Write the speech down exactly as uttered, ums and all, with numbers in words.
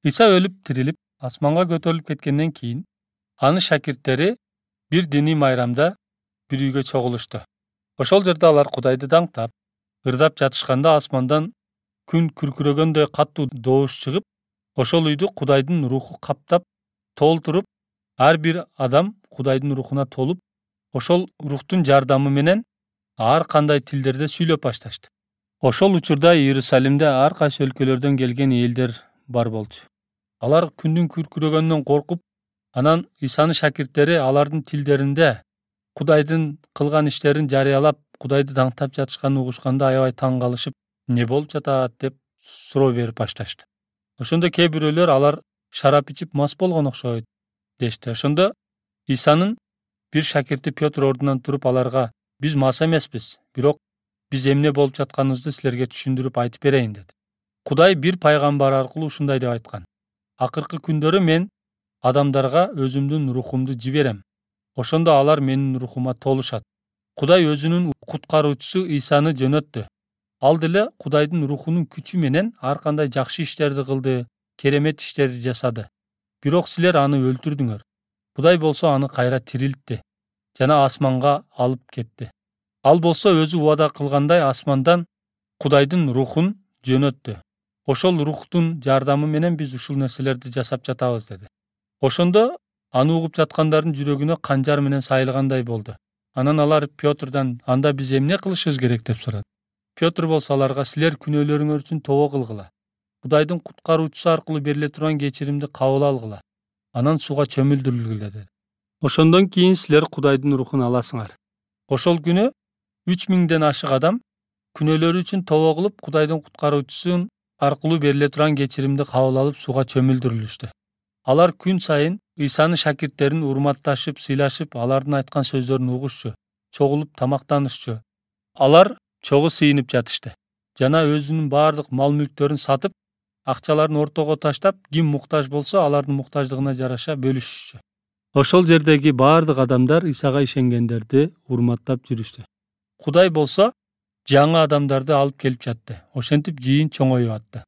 Иса өлүп тирилип асманга көтөрүлүп кеткенден кийин анын шакирттери бир диний майрамда бир үйгө чогулушту. Ошол жерде алар Кудайды даңктап, ырдап жатышканда асмандан күн күркүрөгөндөй катуу добуш чыгып, ошол үйдү Кудайдын руху каптап, толтуруп, ар бир адам Кудайдын рухуна толуп, ошол рухтун жардамы менен ар кандай тилдерде сүйлөп башташты. Ошол учурда Иерусалимде ар кайсы өлкөлөрдөн келген элдер бар болчу. Алар күндүн күркүрөгөнүнөн коркуп, анан Исанын шакирттери алардын тилдеринде Кудайдын кылган иштерин жарыялап, Кудайды даңктап жатышканын угушканда аябай таң калышып, эмне болуп жатат деп суроо берип башташты. Ошондо кээ бирөөлөр алар шарап ичип мас болгон окшойт дешти. Ошондо Исанын бир шакирти Петр ордунан туруп аларга: "Биз мас эмеспиз, бирок биз эмне болуп жатканыбызды силерге түшүндүрүп айтып берейин" деди. Кудай бир пайгамбар аркылуу ушундай деп айткан: "Акыркы күндөрү мен адамдарга өзүмдүн рухумду жиберем. Ошондо алар менин рухума толушат." Кудай өзүнүн куткаруучусу Исаны жөнөттү. Ал деле Кудайдын рухунун күчү менен ар кандай жакшы иштерди кылды, керемет иштерди жасады. Бирок силер аны өлтүрдүңөр. Кудай болсо аны кайра тирилтти жана асманга алып кетти. Ал болсо өзү убада кылгандай асмандан Кудайдын рухун жөнөттү. Ошол рухтун жардамы менен биз ушул нерселерди жасап жатабыз деди. Ошондо аны угуп жаткандардын жүрөгүнө канжар менен сайылгандай болду. Анан алар Петрден: "Анда биз эмне кылышыбыз керек?" деп сурады. Петр болсо аларга: "Силер күнөөлөрүңөр үчүн тобо кылгыла. Кудайдын куткаруучусу аркылуу бериле турган кечиримди кабыл алгыла. Анан сууга чөмүлдүрүлгүлө" деди. Ошондон кийин силер Кудайдын рухун аласыңар. Ошол күнү үч миңден ашык адам күнөөлөрү үчүн тобо кылып, Кудайдын куткаруучусу аркылуу бериле турган кечиримди кабыл алып, сууга чөмүлдүрүлүштү. Алар күн сайын Исанын шакирттерин урматташып, сыйлашып, алардын айткан сөздөрүн угушчу, чогулуп тамактанышчу. Алар чогуу сыйынып жатышты жана өзүнүн баардык мал-мүлктөрүн сатып, акчаларын ортого таштап, ким муктаж болсо алардын муктаждыгына жараша бөлүшүшчү. Ошол жердеги баардык адамдар Исага ишенгендерди урматтап жүрүштү. Кудай болсо жаңы адамдарды алып келип жатты. Ошентип жыйын чоңоюп атты.